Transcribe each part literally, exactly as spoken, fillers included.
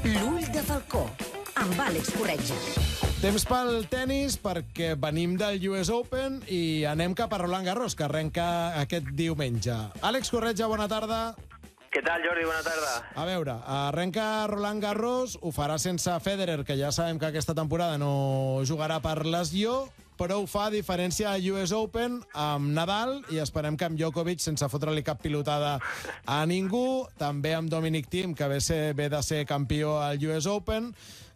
L'ull de falcó, amb Àlex Corretja. Temps pel tennis perquè venim del U S Open i anem cap a Roland Garros, que arrenca aquest diumenge. Àlex Corretja, bona tarda. Què tal, Jordi? Bona tarda. A veure, arrenca Roland Garros, ho farà sense Federer, que ja sabem que aquesta temporada no jugarà per lesió, però ho fa a diferència del U S Open amb Nadal i esperem que amb Djokovic, sense fotre-li cap pilotada a ningú, també amb Dominic Thiem, que ve, ser, ve de ser campió al U S Open.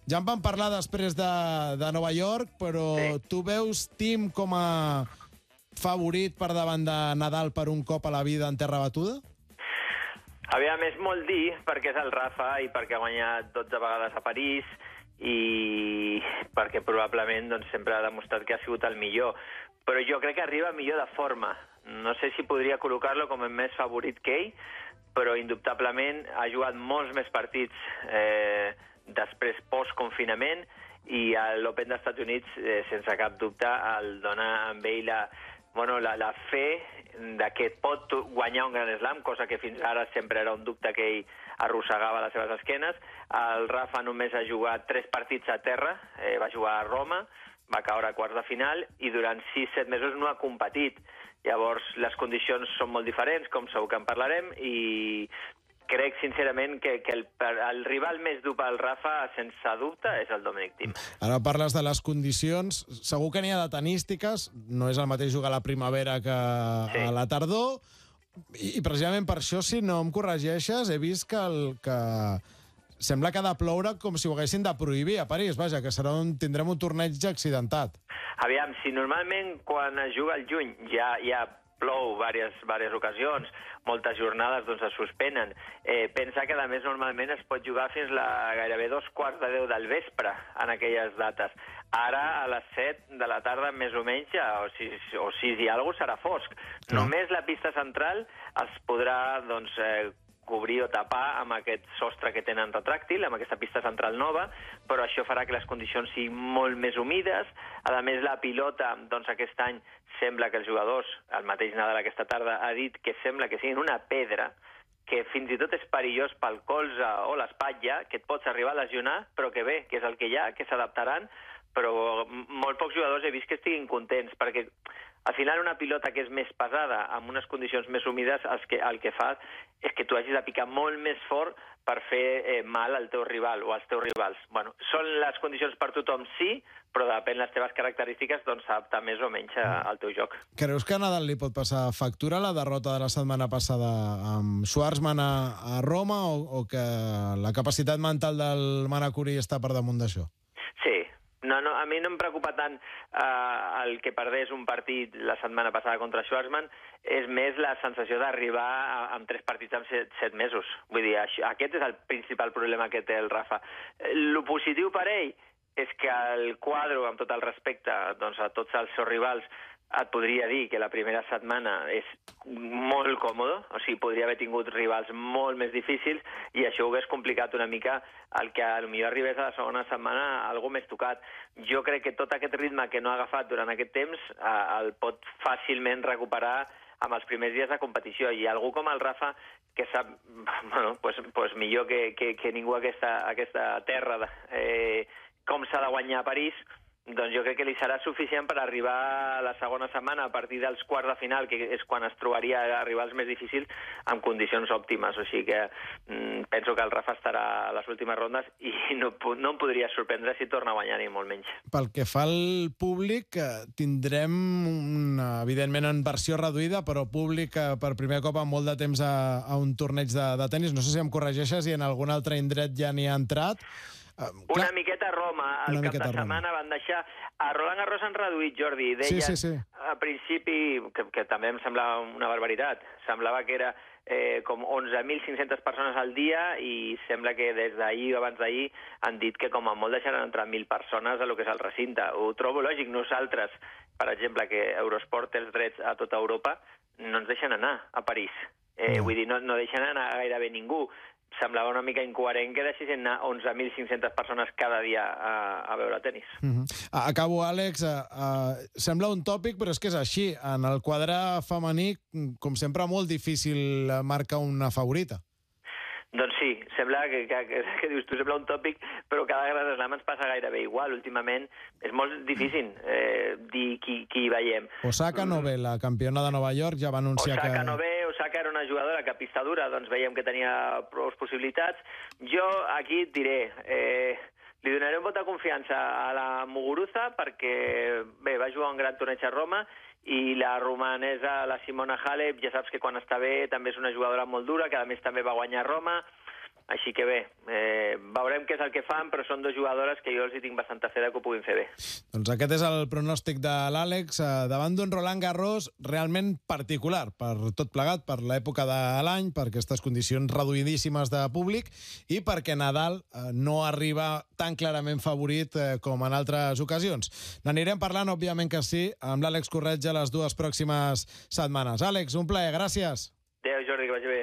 Ja en vam parlar després de, de Nova York, però sí. Tu veus Thiem com a favorit per davant de Nadal per un cop a la vida en terra batuda? Aviam, és molt dir, perquè és el Rafa i perquè ha guanyat dotze vegades a París i perquè probablement doncs, sempre ha demostrat que ha sigut el millor. Però jo crec que arriba millor de forma. No sé si podria col·locar-lo com el més favorit que ell, però indubtablement ha jugat molts més partits eh, després post-confinament i a l'Open dels Estats Units, eh, sense cap dubte, el dona amb ell la, bueno, la, la fe de que pot guanyar un Gran Slam, cosa que fins ara sempre era un dubte que ell arrossegava a les seves esquenes. El Rafa només ha jugat tres partits a terra, eh, va jugar a Roma, va caure a quarts de final i durant sis set mesos no ha competit. Llavors les condicions són molt diferents, com segur que en parlarem, i crec sincerament que, que el, el rival més dur pel Rafa, sense dubte, és el Dominic Thiem. Ara parles de les condicions. Segur que n'hi ha de tenístiques. No és el mateix jugar a la primavera que sí. a la tardor. I, I precisament per això, si no em corregeixes, he vist que, el, que sembla que ha de ploure com si ho haguessin de prohibir a París. Vaja, que serà un, tindrem un torneig accidentat. Aviam, si normalment quan es juga al juny ja, ja plou diverses, diverses ocasions, moltes jornades doncs, es suspenen. Eh, pensa que, a més, normalment es pot jugar fins la gairebé dos quarts de deu del vespre en aquelles dates. Ara, a les set de la tarda, més o menys, o sis, o sis i alguna cosa, serà fosc. No. Només la pista central es podrà doncs, eh, cobrir o tapar amb aquest sostre que tenen retràctil, amb aquesta pista central nova, però això farà que les condicions siguin molt més humides. A més, la pilota, doncs aquest any, sembla que els jugadors, el mateix Nadal aquesta tarda, ha dit que sembla que siguin una pedra, que fins i tot és perillós pel colze o l'espatlla, que et pots arribar a lesionar, però que bé, que és el que hi ha, que s'adaptaran, però molt pocs jugadors he vist que estiguin contents, perquè al final una pilota que és més pesada, amb unes condicions més humides, el que, el que fa és que tu hagis de picar molt més fort per fer eh, mal al teu rival o als teus rivals. Bueno, són les condicions per tothom, sí, però depèn de les teves característiques, doncs s'adapta més o menys al teu joc. Creus que a Nadal li pot passar factura la derrota de la setmana passada amb Schwartzman a, a Roma o, o que la capacitat mental del Manacuri està per damunt d'això? Sí. No, no, a mi no em preocupa tant eh, el que perdés un partit la setmana passada contra Schwartzman, és més la sensació d'arribar amb tres partits en set, set mesos. Vull dir, això, aquest és el principal problema que té el Rafa. Lo positiu per ell és que el quadre, amb tot el respecte doncs, a tots els seus rivals, et podria dir que la primera setmana és molt còmode, o sigui, podria haver tingut rivals molt més difícils i això ho hagués complicat una mica el que potser arribés a la segona setmana algú més tocat. Jo crec que tot aquest ritme que no ha agafat durant aquest temps eh, el pot fàcilment recuperar amb els primers dies de competició, i algú com el Rafa que sap, bueno, pues, pues millor que, que, que ningú aquesta, aquesta terra eh, com s'ha de guanyar a París, doncs jo crec que li serà suficient per arribar a la segona setmana a partir dels quarts de final, que és quan es trobaria a rivals més difícils, amb condicions òptimes. O sigui que mm, penso que el Rafa estarà a les últimes rondes i no, no em podria sorprendre si torna a guanyar ni molt menys. Pel que fa al públic, tindrem, una, evidentment en versió reduïda, però públic per primer cop en molt de temps a, a un torneig de, de tennis. No sé si em corregeixes i en algun altre indret ja n'hi ha entrat. Uh, una clar, miqueta a Roma, el cap de setmana van deixar... A Roland Garros han reduït, Jordi, deien sí, sí, sí. a principi, que, que també em semblava una barbaritat, semblava que era eh, com onze mil cinc-centes persones al dia i sembla que des d'ahir o abans d'ahir han dit que com a molt deixaran entrar mil persones a lo que és el recinte. Ho trobo lògic. Nosaltres, per exemple, que Eurosport té els drets a tota Europa, no ens deixen anar a París. Eh, mm. Vull dir, no, no deixen anar gairebé ningú. Semblava una mica incoherent que deixessin anar onze mil cinc-centes persones cada dia a, a veure tenis. Mm-hmm. Acabo, Àlex. Uh, uh, sembla un tòpic, però és que és així. En el quadre femení, com sempre, molt difícil marcar una favorita. Doncs sí, sembla que, que, que, que dius tu, sembla un tòpic, però cada Grand Slam ens passa gairebé igual. Últimament és molt difícil eh, dir qui, qui hi veiem. Osaka no ve, la campiona de Nova York ja va anunciar Osaka que... Osaka no ve, Osaka era una jugadora que a pista dura doncs veiem que tenia prou possibilitats. Jo aquí et diré... Eh, Li donaré un vot de confiança a la Muguruza perquè, bé, va jugar un gran torneig a Roma i la romanesa, la Simona Halep, ja saps que quan està bé també és una jugadora molt dura, que a més també va guanyar a Roma. Així que bé, eh, veurem què és el que fan, però són dues jugadores que jo els hi tinc bastanta fe de que ho puguin fer bé. Doncs aquest és el pronòstic de l'Àlex, eh, davant d'un Roland Garros realment particular, per tot plegat, per l'època de l'any, per aquestes condicions reduïdíssimes de públic i perquè Nadal eh, no arriba tan clarament favorit eh, com en altres ocasions. N'anirem parlant, òbviament que sí, amb l'Àlex Corretja les dues pròximes setmanes. Àlex, un plaer, gràcies. Adéu, Jordi, que vagi bé.